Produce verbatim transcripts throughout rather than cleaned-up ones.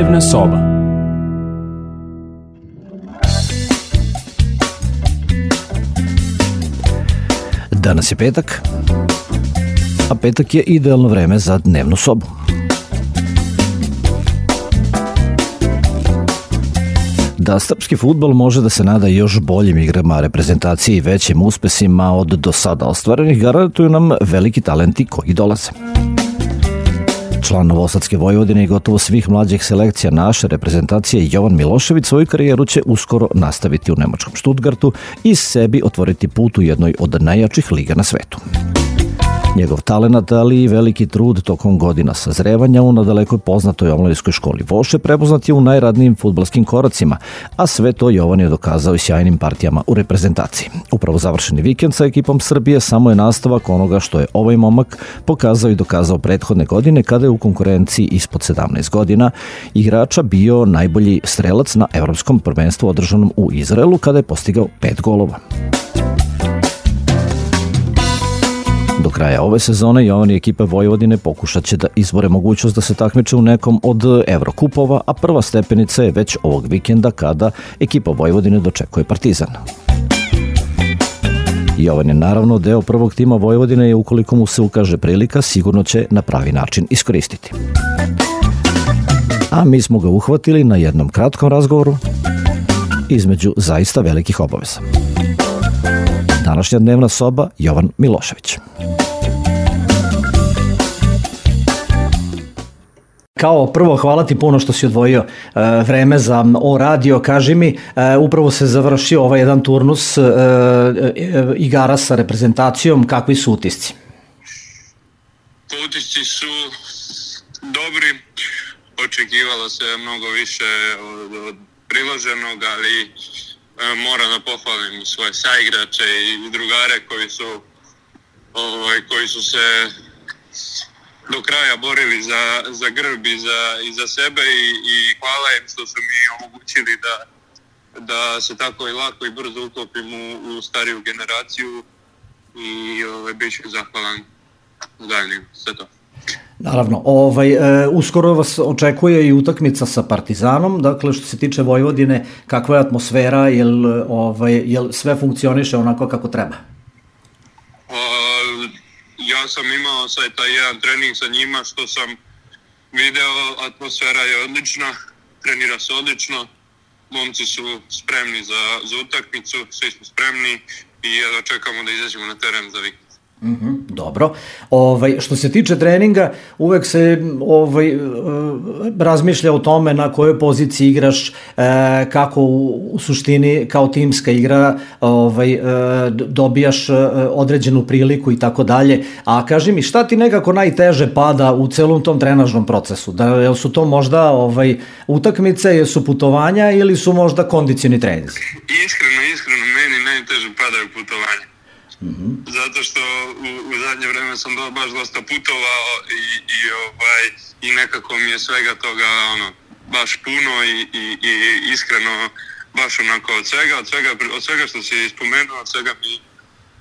Dnevna soba. Danas je petak, a petak je idealno vreme za dnevnu sobu. Da srpski fudbal može da se nada još boljim igrama reprezentacije i većim uspesima od do sada ostvarenih, garantuju nam veliki talenti koji dolaze. Član Novosadske Vojvodine i gotovo svih mlađih selekcija naše reprezentacije Jovan Milošević svoju karijeru će uskoro nastaviti u nemačkom Stuttgartu i sebi otvoriti put u jednoj od najjačih liga na svetu. Njegov talenat, ali i veliki trud tokom godina sazrevanja u nadalekoj poznatoj omladinskoj školi Voše prepoznat je u najradnijim fudbalskim koracima, a sve to Jovan je dokazao i sjajnim partijama u reprezentaciji. Upravo završeni vikend sa ekipom Srbije samo je nastavak onoga što je ovaj momak pokazao i dokazao prethodne godine kada je u konkurenciji ispod sedamnaest godina igrača bio najbolji strelac na evropskom prvenstvu održanom u Izraelu kada je postigao pet golova. Do kraja ove sezone Jovan i ekipa Vojvodine pokušat će da izbore mogućnost da se takmiče u nekom od Evrokupova, a prva stepenica je već ovog vikenda kada ekipa Vojvodine dočekuje Partizan. Jovan je naravno deo prvog tima Vojvodine i ukoliko mu se ukaže prilika, sigurno će na pravi način iskoristiti. A mi smo ga uhvatili na jednom kratkom razgovoru između zaista velikih obaveza. Današnja dnevna soba, Jovan Milošević. Kao prvo, hvala ti puno što si odvojio e, vreme za O radio. Kaži mi, e, upravo se završio ovaj jedan turnus e, e, igara sa reprezentacijom. Kakvi su utisci? Utisci su dobri. Očekivalo se mnogo više od, od priloženog, ali e, moram da pohvalim svoje saigrače i drugare koji su, ovaj, koji su se do kraja borili za, za grb i za, i za sebe i, i hvala im što su mi omogućili da, da se tako i lako i brzo uklopim u, u stariju generaciju i ovaj, bit ću zahvalan daljnjim sve to. Naravno, ovaj, e, uskoro vas očekuje i utakmica sa Partizanom, dakle što se tiče Vojvodine, kakva je atmosfera, jel, ovaj, jel sve funkcioniše onako kako treba? Ja sam imao sad taj jedan trening sa njima što sam video, atmosfera je odlična, trenira se odlično, momci su spremni za, za utakmicu, svi smo spremni i jedva čekamo da izađemo na teren za vikend. Mm-hmm, dobro. Ovaj, što se tiče treninga, uvek se ovaj, razmišlja o tome na kojoj poziciji igraš, e, kako u, u suštini kao timska igra ovaj, e, dobijaš određenu priliku i tako dalje. A kaži mi, šta ti nekako najteže pada u celom tom trenažnom procesu? Da, jel su to možda ovaj, utakmice, jel su putovanja ili su možda kondicioni treninzi? Iskreno, iskreno, meni najteže padaju putovanja. Mm-hmm. Zato što u, u zadnje vreme sam do, baš dosta putovao i, i, ovaj, i nekako mi je svega toga ono, baš puno i, i, i iskreno baš onako od svega, od svega, od svega što si spomenuo, od svega mi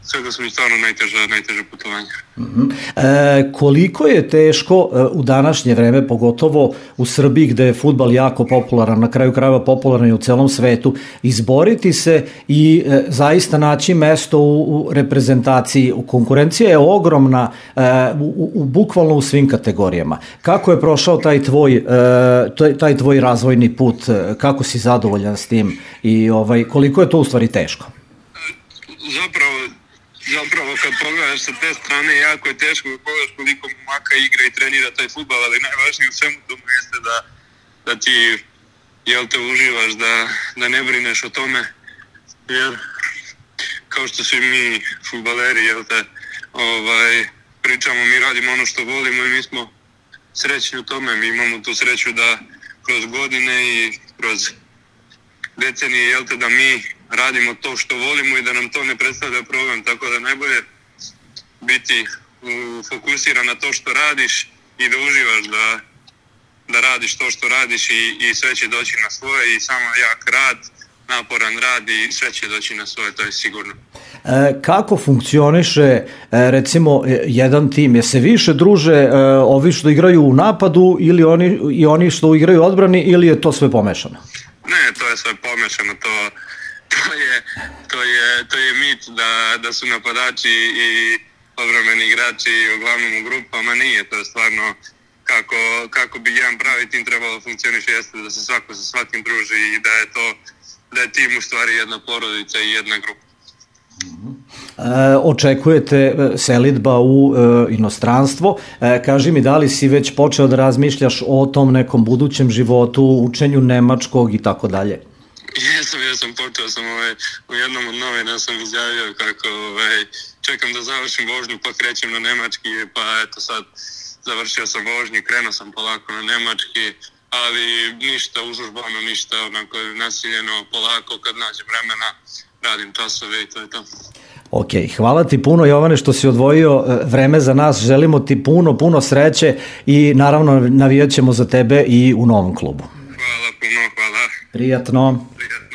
svega su mi stvarno najteže, najteže putovanja. Mm-hmm. E, koliko je teško e, u današnje vreme, pogotovo u Srbiji gde je fudbal jako popularan, na kraju krajeva popularan i u celom svetu, izboriti se i e, zaista naći mesto u, u reprezentaciji? Konkurencija je ogromna e, u, u, bukvalno u svim kategorijama. Kako je prošao taj tvoj, e, taj, taj tvoj razvojni put? Kako si zadovoljan s tim i ovaj, koliko je to u stvari teško? Zapravo Zapravo kad pogledaš sa te strane jako je teško da pogledaš koliko momaka igra i trenira taj fudbal, ali najvažnije u svemu tomu jeste da, da ti jel te uživaš, da, da ne brineš o tome, jer kao što svi mi fudbaleri jel te, ovaj, pričamo, mi radimo ono što volimo i mi smo srećni u tome, mi imamo tu sreću da kroz godine i kroz decenije jel te, da mi radimo to što volimo i da nam to ne predstavlja problem, tako da najbolje biti fokusiran na to što radiš i da uživaš da, da radiš to što radiš i, i sve će doći na svoje i samo jak rad, naporan rad i sve će doći na svoje, to je sigurno. Kako funkcioniše recimo jedan tim? Je se više druže ovi što igraju u napadu ili oni, i oni što igraju u odbrani ili je to sve pomešano? Ne, to je sve pomešano. To, to, je, to, je, to je mit da, da su napadači i odbrambeni igrači uglavnom u grupama. Nije, to je stvarno kako, kako bi jedan pravi tim trebalo funkcioniše, jeste da se svako sa svakim druži i da je to da je tim u stvari jedna porodica i jedna grupa. E, očekujete selidba u e, inostranstvo. E, kaži mi, da li si već počeo da razmišljaš o tom nekom budućem životu, učenju nemačkog i tako dalje? Jesam, jesam, počeo sam ovaj, u jednom od novina sam izjavio kako ovaj, čekam da završim vožnju pa krećem na nemački, pa eto sad završio sam vožnju, krenuo sam polako na nemački, ali ništa užurbano, ništa onako nasiljeno, polako kad nađem vremena radim časove i to je to. Ok, hvala ti puno Jovane što si odvojio vreme za nas, želimo ti puno, puno sreće i naravno navijat ćemo za tebe i u novom klubu. Hvala puno, hvala. Prijatno. Prijatno.